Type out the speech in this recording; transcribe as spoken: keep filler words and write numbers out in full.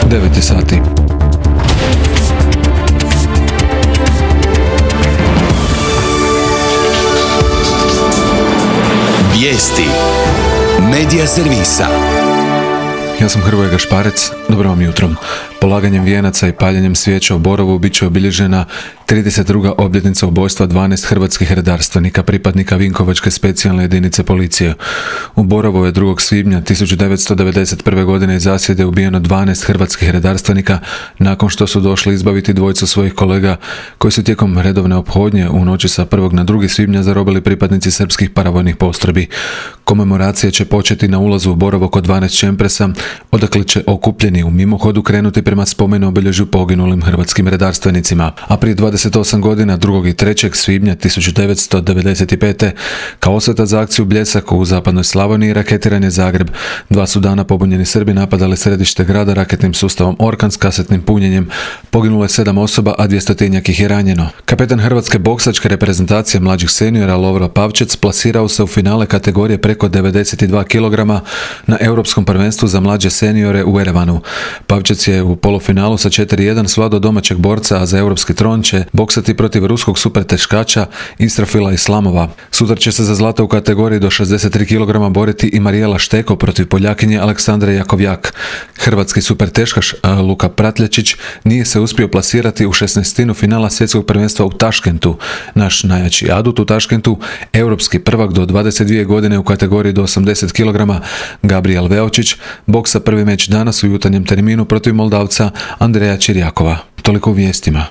devet je sati. Vijesti Medija servisa. Ja sam Hrvoje Gašparec, dobro vam jutro. Polaganjem vijenaca i paljenjem svijeća u Borovu bit će obilježena trideset druga obljetnica ubojstva dvanaest hrvatskih redarstvenika, pripadnika Vinkovačke specijalne jedinice policije. U Borovu je drugog svibnja tisuću devetsto devedeset prve. godine iz zasjede ubijeno dvanaest hrvatskih redarstvenika nakon što su došli izbaviti dvojicu svojih kolega koji su tijekom redovne ophodnje u noći sa prvog na drugi svibnja zarobili pripadnici srpskih paravojnih postrojbi. Komemoracije će početi na ulazu u Borovo kod dvanaest Čempresa, odakle će okupljeni u mimohodu krenuti prema spomenu obilježju poginulim hrvatskim redarstvenicima. A prije dvadeset osam godina, drugog i trećeg svibnja tisuću devetsto devedeset pete. kao osveta za akciju Bljesak u zapadnoj Slavoniji raketiran je Zagreb. Dva su dana pobunjeni Srbi napadali središte grada raketnim sustavom Orkan s kasetnim punjenjem. Poginulo je sedam osoba, a dvjestotinjak ih je ranjeno. Kapetan hrvatske boksačke reprezentacije mlađih seniora Lovro Pavčec plasirao se u finale kategorije preko devedeset dva kilograma na Europskom prvenstvu za mlađe seniore u Erevanu. Pavčec je u polufinalu sa četiri jedan svladao domaćeg borca, a za europski tron će boksati protiv ruskog superteškača Israfila Islamova. Sutra će se za zlato u kategoriji do šezdeset tri kilograma boriti i Marijela Šteko protiv Poljakinje Aleksandre Jakovjak. Hrvatski superteškaš Luka Pratljačić nije se uspio plasirati u šesnaestinu finala svjetskog prvenstva u Taškentu. Naš najjači adut u Taškentu, europski prvak do dvadeset dvije godine u kategoriji do osamdeset kilograma, Gabriel Veočić, boksa prvi meč danas u jutarnjem terminu protiv Moldavca Andreja Čirjakova. Toliko u vijestima.